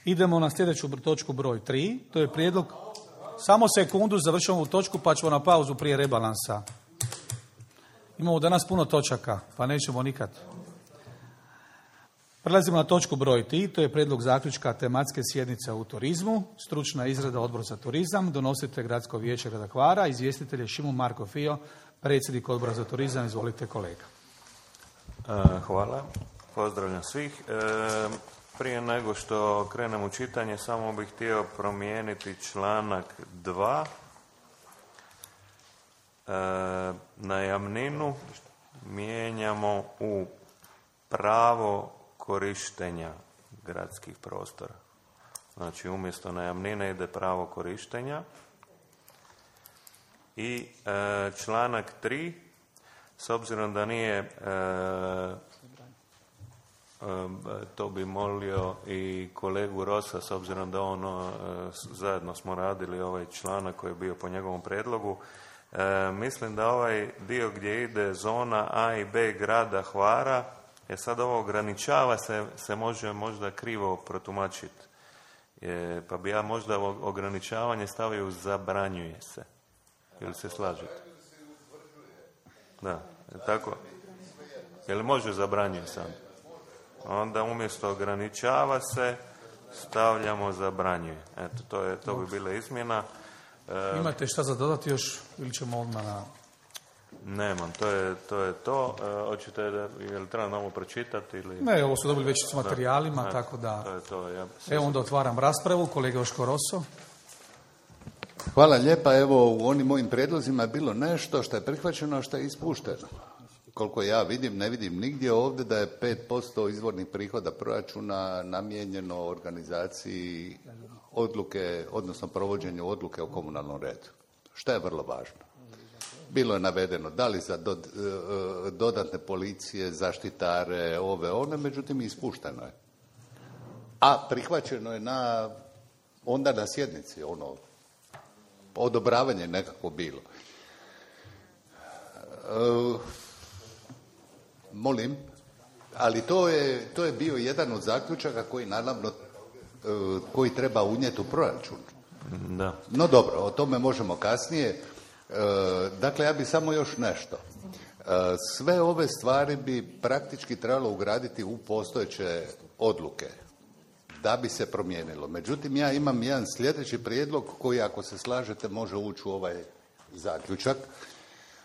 Idemo na sljedeću točku broj 3. To je prijedlog... Samo sekundu, završamo ovu točku pa ćemo na pauzu prije rebalansa. Imamo danas puno točaka, pa nećemo nikad. Prelazimo na točku broj 3. To je prijedlog zaključka tematske sjednice u turizmu. Stručna izrada Odbor za turizam. Donosite Gradsko vijeće grada Hvara. Izvjestitelj je Šimon Marko Fio, predsjednik Odbora za turizam. Izvolite kolega. Hvala. Pozdravljam svih. Prije nego što krenem u čitanje, samo bih htio promijeniti članak 2. Najamninu mijenjamo u pravo korištenja gradskih prostora. Znači, umjesto najamnine ide pravo korištenja. I članak 3, s obzirom da nije... to bi molio i kolegu Rosa, s obzirom da on zajedno smo radili ovaj članak koji je bio po njegovom predlogu. Mislim da ovaj dio gdje ide zona A i B grada Hvara, sad ovo ograničava se može možda krivo protumačiti. Pa bi ja možda ograničavanje stavio u zabranjuje se. Ili se slažete? Da, tako. Jel može zabranjuje sam? Onda umjesto ograničava se, stavljamo zabranjuje. Eto, to bi bila izmjena. Imate šta za dodati još ili ćemo odmah na... Nemam, to je to. Hoćete, je li treba novo pročitati? Ili... Ne, ovo su dobili već s materijalima, tako da... To je to. Evo onda otvaram raspravu. Kolega Joško Rosso. Hvala lijepa. Evo, u onim mojim prijedlozima je bilo nešto što je prihvaćeno, a što je ispušteno. Koliko ja vidim, ne vidim nigdje ovdje da je 5% izvornih prihoda proračuna namijenjeno organizaciji odluke, odnosno provođenju odluke o komunalnom redu. Što je vrlo važno. Bilo je navedeno da li za dodatne policije, zaštitare, one, međutim ispušteno je. A prihvaćeno je onda na sjednici, odobravanje nekako bilo. Molim, ali to je bio jedan od zaključaka koji naravno koji treba unijeti u proračun. Da. No dobro, o tome možemo kasnije. Dakle, ja bih samo još nešto. Sve ove stvari bi praktički trebalo ugraditi u postojeće odluke da bi se promijenilo. Međutim, ja imam jedan sljedeći prijedlog koji, ako se slažete, može ući u ovaj zaključak,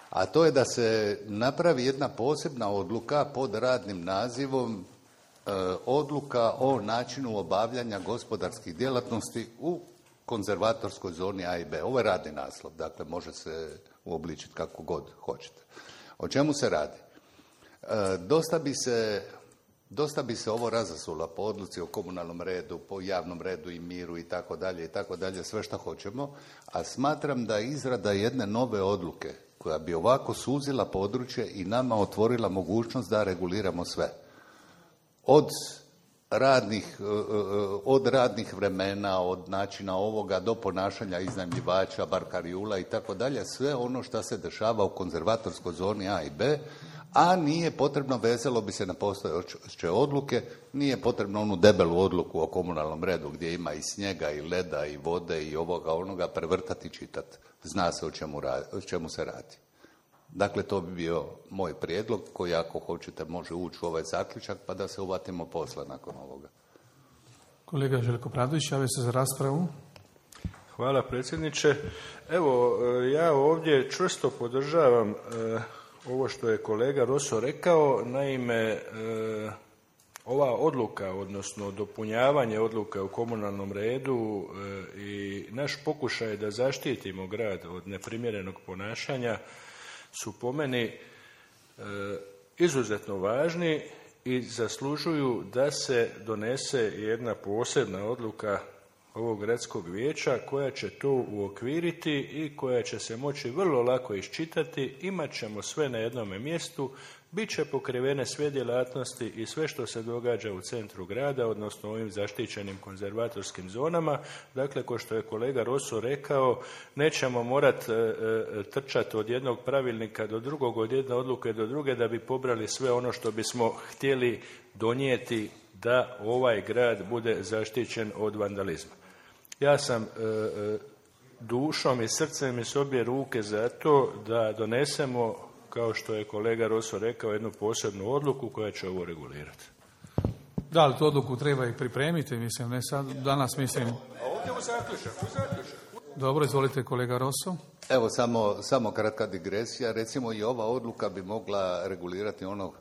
a to je da se napravi jedna posebna odluka pod radnim nazivom odluka o načinu obavljanja gospodarskih djelatnosti u konzervatorskoj zoni A i B. Ovo je radni naslov, dakle može se uobličiti kako god hoćete. O čemu se radi? Dosta bi se ovo razasulo po odluci o komunalnom redu, po javnom redu i miru i tako dalje, sve što hoćemo, a smatram da izrada jedne nove odluke koja bi ovako suzila područje i nama otvorila mogućnost da reguliramo sve. Od radnih vremena, od načina ovoga do ponašanja iznajmljivača, barkarijula i tako dalje, sve ono što se dešava u konzervatorskoj zoni A i B, a nije potrebno, vezalo bi se na postojeće odluke, nije potrebno onu debelu odluku o komunalnom redu gdje ima i snijega i leda i vode i onoga prevrtati i čitati. Zna se o čemu se radi. Dakle, to bi bio moj prijedlog koji, ako hoćete, može ući u ovaj zaključak pa da se uvatimo posla nakon ovoga. Kolega Željko Pradović, javio se za raspravu. Hvala predsjedniče. Evo, ja ovdje čvrsto podržavam ovo što je kolega Rosso rekao. Naime, ova odluka, odnosno dopunjavanje odluka u komunalnom redu i naš pokušaj da zaštitimo grad od neprimjerenog ponašanja su po meni izuzetno važni i zaslužuju da se donese jedna posebna odluka ovog gradskog vijeća koja će to uokviriti i koja će se moći vrlo lako iščitati. Imat ćemo sve na jednome mjestu, bit će pokrivene sve djelatnosti i sve što se događa u centru grada, odnosno ovim zaštićenim konzervatorskim zonama. Dakle, kao što je kolega Rosso rekao, nećemo morati trčati od jednog pravilnika do drugog, od jedne odluke do druge da bi pobrali sve ono što bismo htjeli donijeti da ovaj grad bude zaštićen od vandalizma. Ja sam dušom i srcem i s obje ruke za to da donesemo, kao što je kolega Roso rekao, jednu posebnu odluku koja će ovo regulirati. Da, ali tu odluku treba i pripremiti, mislim, ne sad, danas mislim... A ovdje u zaključak. Dobro, izvolite kolega Roso. Evo, samo kratka digresija. Recimo i ova odluka bi mogla regulirati ono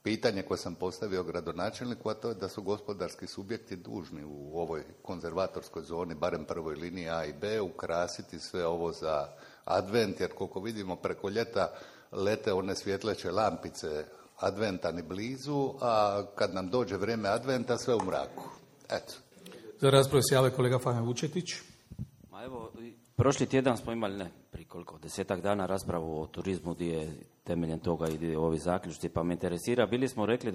pitanje koje sam postavio gradonačelniku, a to je da su gospodarski subjekti dužni u ovoj konzervatorskoj zoni, barem prvoj liniji A i B, ukrasiti sve ovo za advent, jer koliko vidimo preko ljeta lete one svjetleće lampice adventa ni blizu, a kad nam dođe vrijeme adventa sve u mraku. Eto. Za raspravu se javlja kolega Fajan Vučetić. Ma evo, prošli tjedan smo imali, prije koliko, 10-ak dana raspravu o turizmu gdje je temeljem toga i ovi zaključci, pa me interesira, bili smo rekli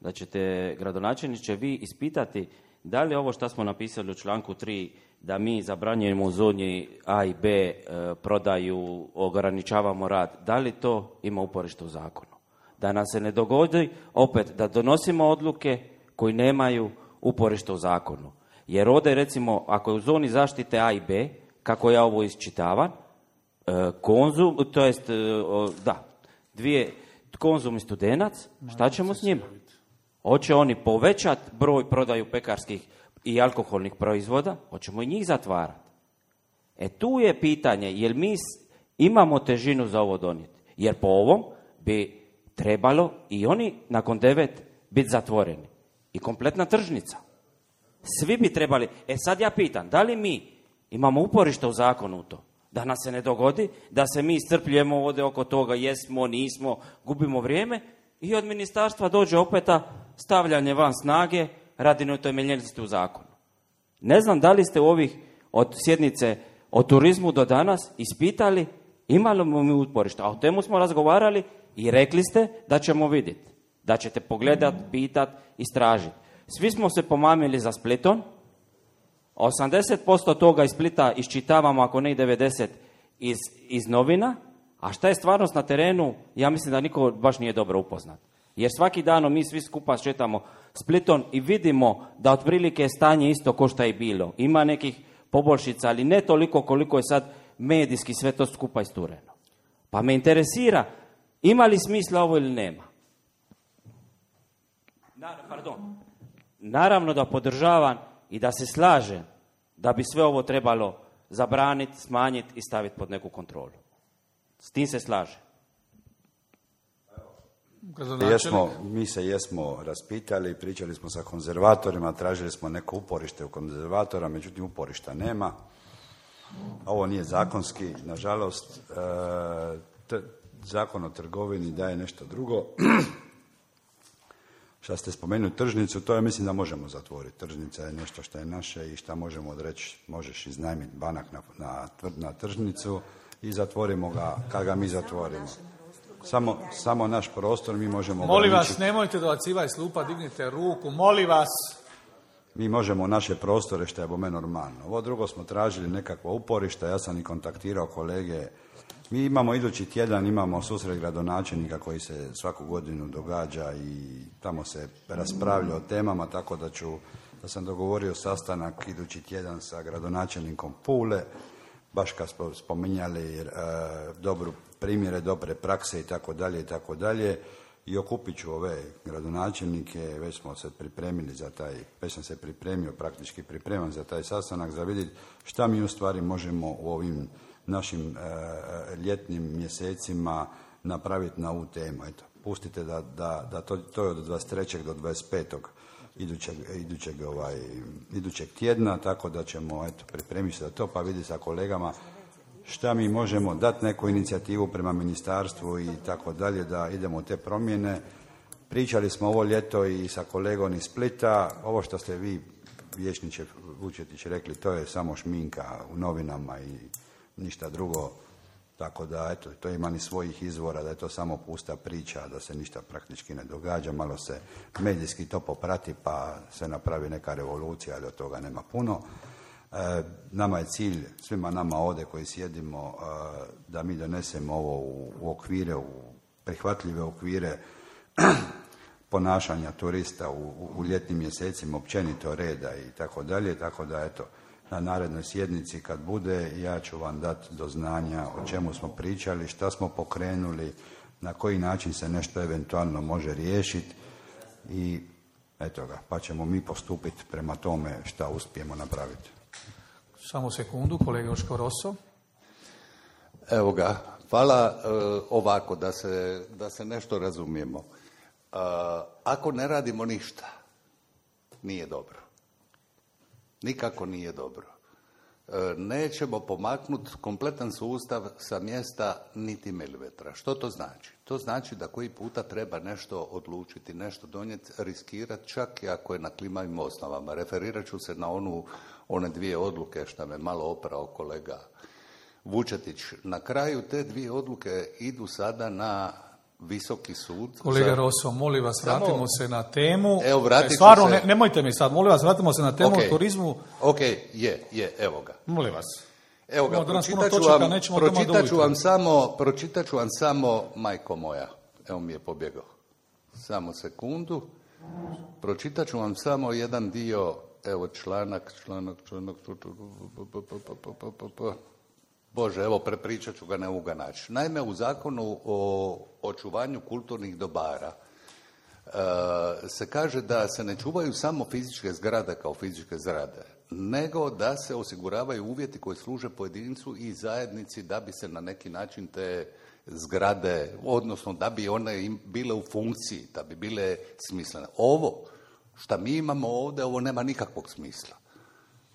da ćete, gradonačelniče, vi ispitati da li ovo što smo napisali u članku 3, da mi zabranjujemo u zoni A i B prodaju, ograničavamo rad, da li to ima uporište u zakonu? Da nam se ne dogodi opet da donosimo odluke koji nemaju uporište u zakonu. Jer ovdje, recimo, ako je u zoni zaštite A i B, kako ja ovo iščitavam, Konzum, to jest, Konzum i Studenac, šta ćemo s njima? Hoće oni povećati broj prodaju pekarskih i alkoholnih proizvoda, hoćemo i njih zatvarati. Tu je pitanje, jel mi imamo težinu za ovo donijeti? Jer po ovom bi trebalo i oni nakon 9 biti zatvoreni. I kompletna tržnica. Svi bi trebali. Sad ja pitam, da li mi imamo uporište u zakonu u to? Da nam se ne dogodi, da se mi iscrpljujemo ovdje oko toga, jesmo, nismo, gubimo vrijeme i od ministarstva dođe opeta stavljanje van snage radi neutemeljenosti u zakonu. Ne znam da li ste od sjednice o turizmu do danas ispitali imali mi uporište, a o temu smo razgovarali i rekli ste da ćemo vidjeti, da ćete pogledati, pitati, istražiti. Svi smo se pomamili za Splitom, 80% toga iz Splita iščitavamo, ako ne i 90% iz novina, a šta je stvarnost na terenu, ja mislim da niko baš nije dobro upoznat. Jer svaki dan mi svi skupa šetamo Splitom i vidimo da otprilike je stanje isto ko što je bilo. Ima nekih poboljšica, ali ne toliko koliko je sad medijski sve to skupa istureno. Pa me interesira, ima li smisla ovo ili nema? Naravno da podržavam i da se slažem da bi sve ovo trebalo zabraniti, smanjiti i staviti pod neku kontrolu. S tim se slažem. Mi se jesmo raspitali, pričali smo sa konzervatorima, tražili smo neko uporište u konzervatora, međutim uporišta nema. Ovo nije zakonski, nažalost. Zakon o trgovini daje nešto drugo. Što ste spomenuli tržnicu, to ja mislim da možemo zatvoriti. Tržnica je nešto što je naše i što možemo odreći, možeš iznajmiti banak na tržnicu i zatvorimo ga kad ga mi zatvorimo. Samo naš prostor mi možemo... Molim vas, nemojte dobacivati s lupa, dignite ruku, molim vas. Mi možemo naše prostore, što je bome normalno. Ovo drugo smo tražili nekakva uporišta, ja sam i kontaktirao kolege. Mi imamo idući tjedan, imamo susret gradonačelnika koji se svaku godinu događa i tamo se raspravlja o temama, tako da sam dogovorio sastanak idući tjedan sa gradonačelnikom Pule, baš kad smo spominjali dobru primjere, dobre prakse i tako dalje. I okupit ću ove gradonačelnike, već smo se pripremili već sam se praktički pripreman za taj sastanak, za vidjeti šta mi u stvari možemo u ovim našim ljetnim mjesecima napraviti na ovu temu. Eto, pustite da to je od 23. do 25. idućeg tjedna, tako da ćemo pripremiti se za to, pa vidjeti sa kolegama šta mi možemo dati neku inicijativu prema ministarstvu i tako dalje, da idemo u te promjene. Pričali smo ovo ljeto i sa kolegom iz Splita. Ovo što ste vi, vijećniče Vučetić, rekli, to je samo šminka u novinama i ništa drugo. Tako da, to ima ni svojih izvora, da je to samo pusta priča, da se ništa praktički ne događa. Malo se medijski to poprati, pa se napravi neka revolucija, ali od toga nema puno. Nama je cilj, svima nama ovdje koji sjedimo, da mi donesemo ovo u okvire, u prihvatljive okvire ponašanja turista u ljetnim mjesecima, općenito reda i tako dalje, tako da eto, na narednoj sjednici kad bude, ja ću vam dati do znanja o čemu smo pričali, šta smo pokrenuli, na koji način se nešto eventualno može riješiti i eto ga, pa ćemo mi postupiti prema tome šta uspijemo napraviti. Samo sekundu, kolega Joško Rosso. Evo ga, hvala. Ovako, da se nešto razumijemo. Ako ne radimo ništa, nije dobro. Nikako nije dobro. Nećemo pomaknuti kompletan sustav sa mjesta niti milimetra. Što to znači? To znači da koji puta treba nešto odlučiti, nešto donijeti, riskirati, čak i ako je na klimavim osnovama. Referirat ću se na one dvije odluke što me malo oprao kolega Vučetić. Na kraju te dvije odluke idu sada na Visoki sud. Kolega Rosso, molim vas, vratimo se na temu. Evo, vratit ću stvarno, se. Nemojte mi sad, molim vas, vratimo se na temu o turizmu. Ok, evo ga. Molim vas. Evo ga, pročitat ću vam samo, majko moja, evo mi je pobjegao. Samo sekundu. Pročitat ću vam samo jedan dio, evo članak. Bože, evo prepričat ću ga, ne mogu ga naći. Naime, u Zakonu o očuvanju kulturnih dobara se kaže da se ne čuvaju samo fizičke zgrade kao fizičke zgrade, nego da se osiguravaju uvjeti koji služe pojedincu i zajednici da bi se na neki način te zgrade, odnosno da bi one bile u funkciji, da bi bile smislene. Ovo što mi imamo ovdje, ovo nema nikakvog smisla.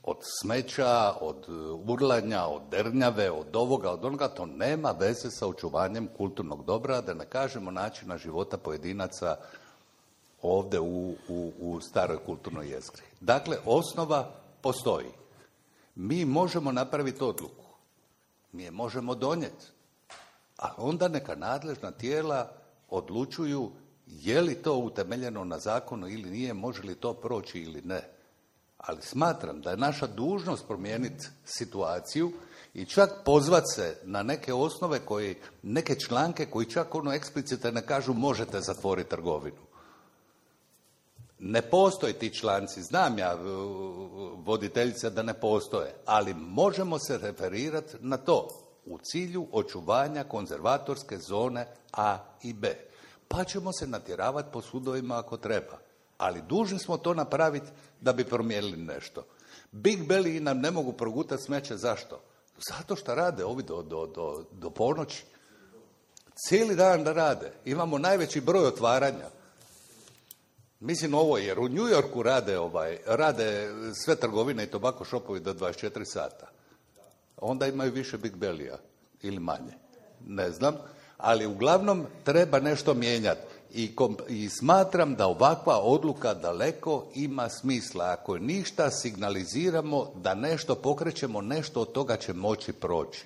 Od smeća, od urlanja, od dernjave, od ovoga, od onoga, to nema veze sa očuvanjem kulturnog dobra, da ne kažemo načina života pojedinaca ovdje u staroj kulturnoj jezgri. Dakle, osnova postoji. Mi možemo napraviti odluku. Mi je možemo donijeti. Ali onda neka nadležna tijela odlučuju je li to utemeljeno na zakonu ili nije, može li to proći ili ne. Ali smatram da je naša dužnost promijeniti situaciju i čak pozvat se na neke osnove neke članke koji čak eksplicite ne kažu možete zatvoriti trgovinu. Ne postoje ti članci, znam ja, voditeljice, da ne postoje, ali možemo se referirati na to u cilju očuvanja konzervatorske zone A i B. Pa ćemo se natjeravati po sudovima ako treba. Ali dužni smo to napraviti da bi promijenili nešto. Big Belly nam ne mogu progutati smeće. Zašto? Zato što rade ovi do ponoći. Cijeli dan da rade. Imamo najveći broj otvaranja. Mislim ovo, jer u New Yorku rade sve trgovine i tobacco shopovi do 24 sata. Onda imaju više Big Belly-a ili manje. Ne znam. Ali uglavnom treba nešto mijenjati. I smatram da ovakva odluka daleko ima smisla. Ako ništa signaliziramo da nešto pokrećemo, nešto od toga će moći proći.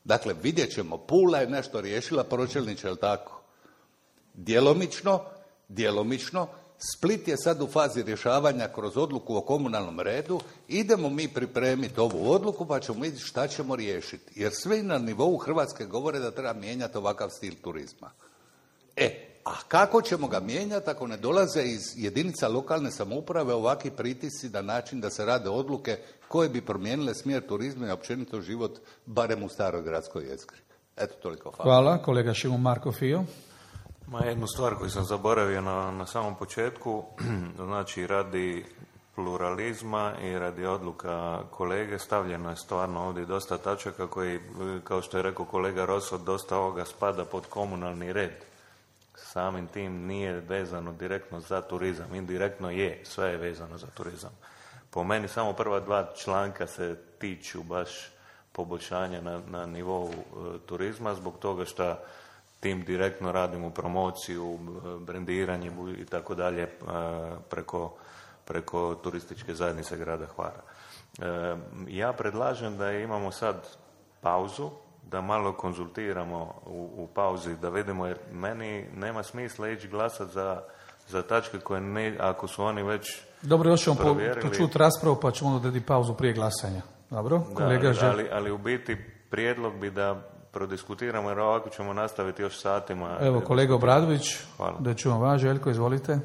Dakle, vidjet ćemo, Pula je nešto riješila, pročelniče, je li tako? Djelomično. Split je sad u fazi rješavanja kroz odluku o komunalnom redu. Idemo mi pripremiti ovu odluku pa ćemo vidjeti šta ćemo riješiti. Jer svi na nivou Hrvatske govore da treba mijenjati ovakav stil turizma. A kako ćemo ga mijenjati ako ne dolaze iz jedinica lokalne samouprave ovakvi pritisci na način da se rade odluke koje bi promijenile smjer turizma i općenito život, barem u staroj gradskoj jezgri. Eto, toliko. Hvala. Kolega Šimon Marko Fio. Jednu stvar koju sam zaboravio na samom početku, znači radi pluralizma i radi odluka kolege stavljeno je stvarno ovdje dosta tačaka koji, kao što je rekao kolega Rosso, dosta ovoga spada pod komunalni red. Samim tim nije vezano direktno za turizam, indirektno je, sve je vezano za turizam. Po meni samo prva dva članka se tiču baš poboljšanja na nivou turizma, zbog toga što tim direktno radimo promociju, brendiranje i tako dalje preko turističke zajednice grada Hvara. Ja predlažem da imamo sad pauzu, da malo konzultiramo u pauzi, da vidimo, jer meni nema smisla ići glasati za tačke koje ako su oni već dobro, još ćemo provjerili. Počuti raspravu pa ćemo odrediti pauzu prije glasanja. Dobro, kolega ali u biti prijedlog bi da prodiskutiramo, jer ovako ćemo nastaviti još satima. Evo, kolega Obradović, Hvala. da čujemo vas. Željko, izvolite.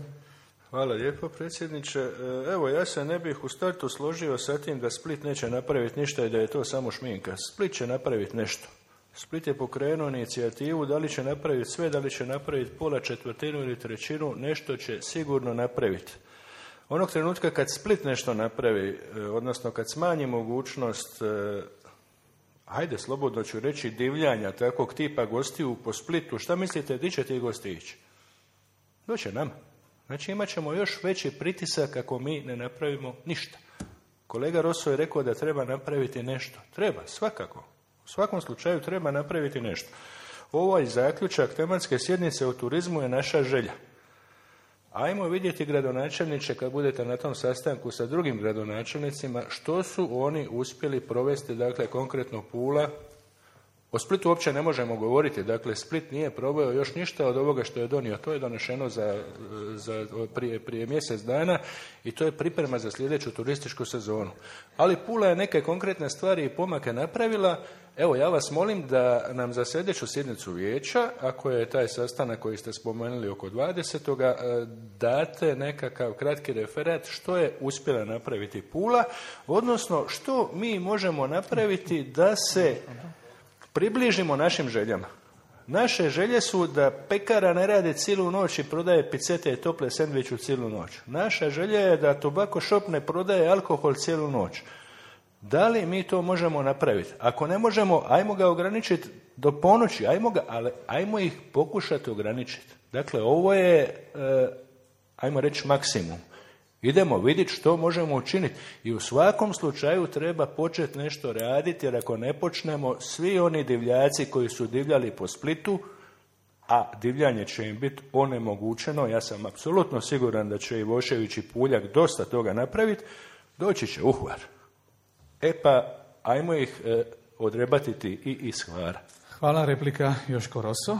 Hvala lijepo, predsjedniče. Evo, ja se ne bih u startu složio sa tim da Split neće napraviti ništa i da je to samo šminka. Split će napraviti nešto. Split je pokrenuo inicijativu, da li će napraviti sve, da li će napraviti pola, četvrtinu ili trećinu, nešto će sigurno napraviti. Onog trenutka kad Split nešto napravi, odnosno kad smanji mogućnost, hajde, slobodno ću reći, divljanja takvog tipa gostiju po Splitu, šta mislite, di će ti gosti ići? Doće nama. Znači imat ćemo još veći pritisak ako mi ne napravimo ništa. Kolega Rosso je rekao da treba napraviti nešto. Treba, svakako. U svakom slučaju treba napraviti nešto. Ovaj zaključak tematske sjednice o turizmu je naša želja. Ajmo vidjeti, gradonačelniče, kad budete na tom sastanku sa drugim gradonačelnicima, što su oni uspjeli provesti, dakle konkretno Pula. O Splitu uopće ne možemo govoriti, dakle Split nije proveo još ništa od ovoga što je donio, to je donešeno prije mjesec dana i to je priprema za sljedeću turističku sezonu. Ali Pula je neke konkretne stvari i pomake napravila. Evo, ja vas molim da nam za sljedeću sjednicu vijeća, ako je taj sastanak koji ste spomenuli oko 20. date nekakav kratki referat što je uspjela napraviti Pula, odnosno što mi možemo napraviti da se približimo našim željama. Naše želje su da pekara ne radi cijelu noć i prodaje picete i tople sendviču cijelu noć. Naša želja je da tobacco shop ne prodaje alkohol cijelu noć. Da li mi to možemo napraviti? Ako ne možemo, ajmo ga ograničiti do ponoći, ali ajmo ih pokušati ograničiti. Dakle, ovo je, ajmo reći, maksimum. Idemo vidjeti što možemo učiniti i u svakom slučaju treba početi nešto raditi, jer ako ne počnemo, svi oni divljaci koji su divljali po Splitu, a divljanje će im biti onemogućeno, ja sam apsolutno siguran da će Ivošević i Puljak dosta toga napraviti, doći će u Hvar. Pa ajmo ih odrebatiti i iz Hvara. Hvala, replika Joško Rosso.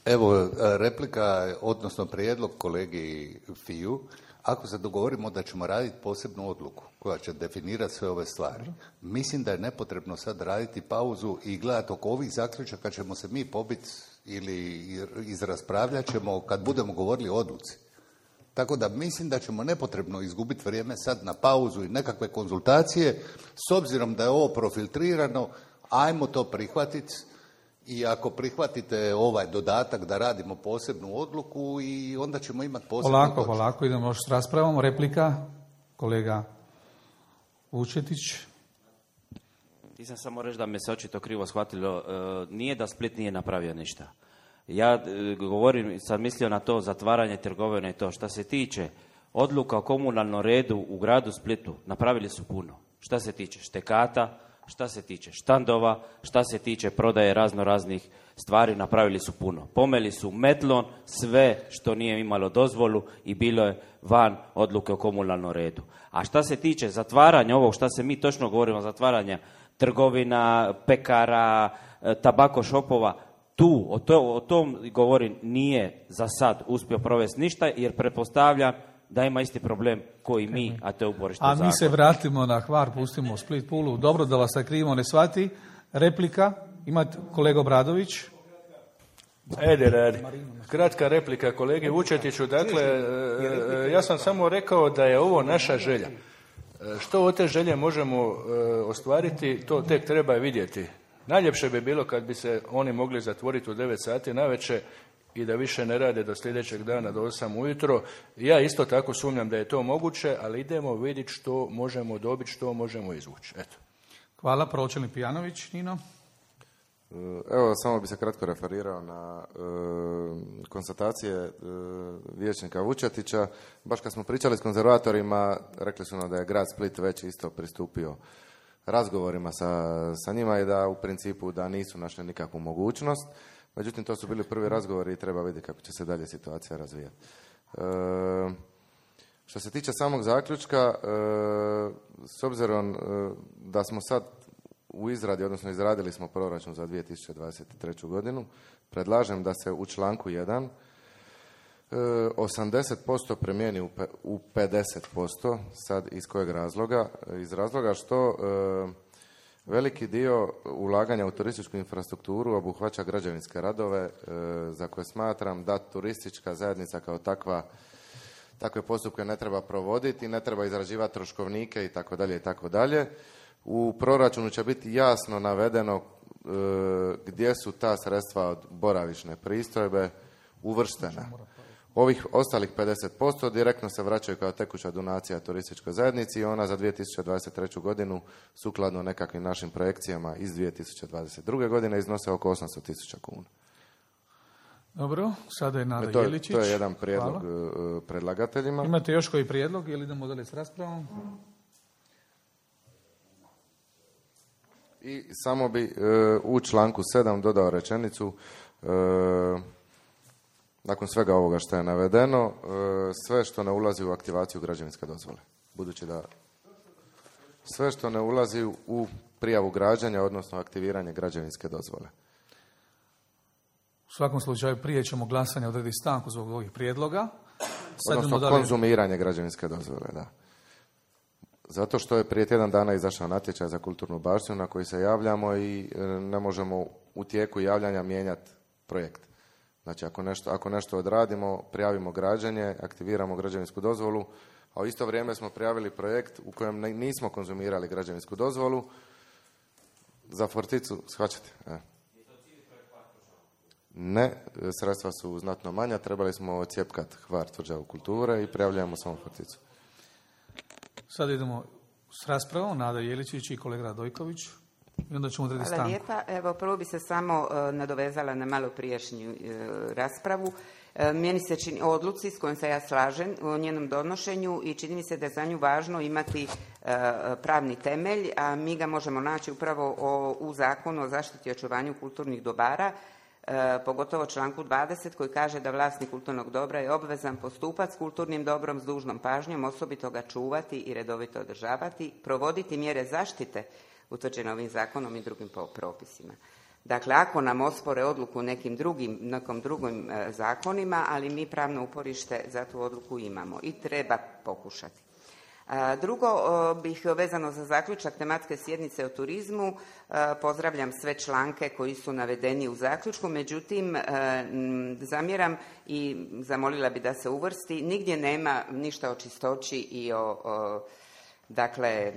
Evo, replika, odnosno prijedlog kolegi Fiju. Ako se dogovorimo da ćemo raditi posebnu odluku koja će definirati sve ove stvari, mislim da je nepotrebno sad raditi pauzu i gledati oko ovih zaključaka ćemo se mi pobiti ili izraspravljat ćemo kad budemo govorili o odluci. Tako da mislim da ćemo nepotrebno izgubiti vrijeme sad na pauzu i nekakve konzultacije. S obzirom da je ovo profiltrirano, ajmo to prihvatiti. I ako prihvatite ovaj dodatak da radimo posebnu odluku i onda ćemo imati posebnu točku. Polako, idemo još s raspravom. Replika, kolega Vučetić. Ti sam samo reći da me se očito krivo shvatilo. Nije da Split nije napravio ništa. Ja govorim, sam mislio na to zatvaranje trgovine i to. Šta se tiče odluka o komunalnom redu u gradu Splitu, napravili su puno. Šta se tiče štekata, šta se tiče štandova, šta se tiče prodaje raznih stvari, napravili su puno. Pomeli su metlon, sve što nije imalo dozvolu i bilo je van odluke o komunalnom redu. A šta se tiče zatvaranja ovog, šta se mi točno govorimo, zatvaranja trgovina, pekara, tabako šopova, o tom govorim, nije za sad uspio provesti ništa, jer pretpostavljam da ima isti problem koji mi, a to je uporište zakona. A mi se vratimo na Hvar, pustimo Split, Pulu. Dobro da vas se krivo ne shvati. Replika, imate kolega Obradović. Radi. Kratka replika kolegi Vučetiću. Dakle, ja sam samo rekao da je ovo naša želja. Što od te želje možemo ostvariti, to tek treba vidjeti. Najljepše bi bilo kad bi se oni mogli zatvoriti u 9 sati navečer i da više ne rade do sljedećeg dana do 8 ujutro. Ja isto tako sumnjam da je to moguće, ali idemo vidjeti što možemo dobiti, što možemo izvući. Eto. Hvala, pročelnik Pijanović, Nino. Evo, samo bi se kratko referirao na konstatacije vijećnika Vučetića. Baš kad smo pričali s konzervatorima, rekli su nam da je grad Split već isto pristupio razgovorima sa njima i da u principu da nisu našli nikakvu mogućnost. Međutim, to su bili prvi razgovori i treba vidjeti kako će se dalje situacija razvijati. Što se tiče samog zaključka, s obzirom da smo sad u izradi, odnosno izradili smo proračun za 2023. godinu, predlažem da se u članku 1 80% premijeni u 50%. Sad iz kojeg razloga? Iz razloga što Veliki dio ulaganja u turističku infrastrukturu obuhvaća građevinske radove za koje smatram da turistička zajednica kao takve postupke ne treba provoditi, ne treba izrađivati troškovnike itd. itd. U proračunu će biti jasno navedeno gdje su ta sredstva od boravišne pristojbe uvrštena. Ovih ostalih 50% direktno se vraćaju kao tekuća donacija turističkoj zajednici i ona za 2023. godinu sukladno nekakvim našim projekcijama iz 2022. godine iznose oko 800.000 kuna. Dobro, sada je Nada Jeličić. To je jedan prijedlog predlagateljima. Imate još koji prijedlog ili idemo dalje s raspravom? I samo bi u članku 7 dodao rečenicu nakon svega ovoga što je navedeno, sve što ne ulazi u aktivaciju građevinske dozvole. Budući da sve što ne ulazi u prijavu građenja, odnosno aktiviranje građevinske dozvole. U svakom slučaju prije ćemo glasanje odrediti stanku zbog ovih prijedloga. Odnosno konzumiranje građevinske dozvole, da. Zato što je prije tjedan dana izašao natječaj za kulturnu baštinu na koji se javljamo i ne možemo u tijeku javljanja mijenjati projekt. Znači, ako nešto odradimo, prijavimo građenje, aktiviramo građevinsku dozvolu, a u isto vrijeme smo prijavili projekt u kojem nismo konzumirali građevinsku dozvolu za Forticu, shvaćate? Ne, sredstva su znatno manja, trebali smo ocijepkati Hvar tvrđavu kulture i prijavljujemo samo Forticu. Sad idemo s raspravom, Nada Jeličić i kolega Radojković. I onda ćemo odrediti stanku. Hvala lijepa. Evo, prvo bi se samo nadovezala na malo prijašnju raspravu. Meni se čini odluci s kojom se ja slažem o njenom donošenju i čini mi se da je za nju važno imati pravni temelj, a mi ga možemo naći upravo u Zakonu o zaštiti i očuvanju kulturnih dobara, pogotovo članku 20 koji kaže da vlasnik kulturnog dobra je obvezan postupati s kulturnim dobrom s dužnom pažnjom, osobito ga čuvati i redovito održavati, provoditi mjere zaštite utvrđene ovim zakonom i drugim propisima. Dakle, ako nam ospore odluku nekim drugim zakonima, ali mi pravno uporište za tu odluku imamo i treba pokušati. Drugo, bih vezano za zaključak tematske sjednice o turizmu, pozdravljam sve članke koji su navedeni u zaključku, međutim, zamjeram i zamolila bi da se uvrsti, nigdje nema ništa o čistoći i dakle,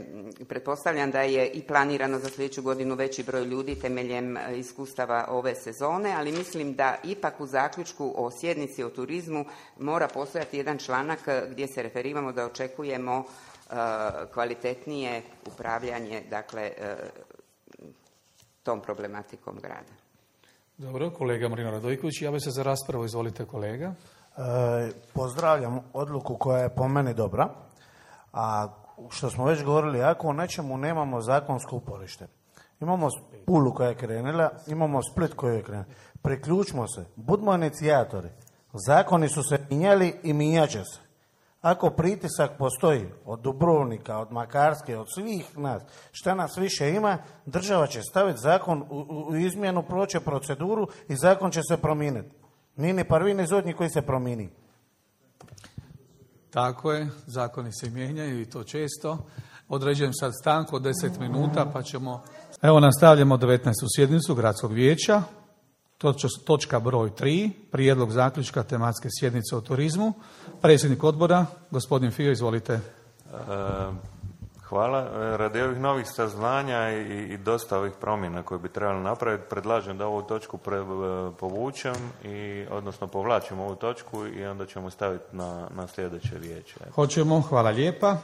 pretpostavljam da je i planirano za sljedeću godinu veći broj ljudi temeljem iskustava ove sezone, ali mislim da ipak u zaključku o sjednici o turizmu mora postojati jedan članak gdje se referiramo da očekujemo kvalitetnije upravljanje, dakle, tom problematikom grada. Dobro, kolega Marino Radojković, javlja se za raspravu, izvolite kolega. Pozdravljam odluku koja je po meni dobra, a što smo već govorili, ako u nečemu nemamo zakonsko uporište, imamo Pulu koja je krenula, imamo Split koji je krenula, priključimo se, budimo inicijatori, zakoni su se mijenjali i mijenjat će se. Ako pritisak postoji od Dubrovnika, od Makarske, od svih nas, šta nas više ima, država će staviti zakon u izmjenu, proće proceduru i zakon će se promijeniti. Nije ni prvi ni zadnji koji se promijeni. Tako je, zakoni se mijenjaju i to često. Određujem sad stanku od 10 minuta pa ćemo... Evo nastavljamo 19. sjednicu Gradskog vijeća. Točka broj 3, prijedlog zaključka tematske sjednice o turizmu. Predsjednik odbora, gospodin Fio, izvolite. Hvala. Radi ovih novih saznanja i dosta ovih promjena koje bi trebali napraviti, predlažem da ovu točku povučem, odnosno povlačim ovu točku i onda ćemo staviti na sljedeće vijeće. Hoćemo, hvala lijepa.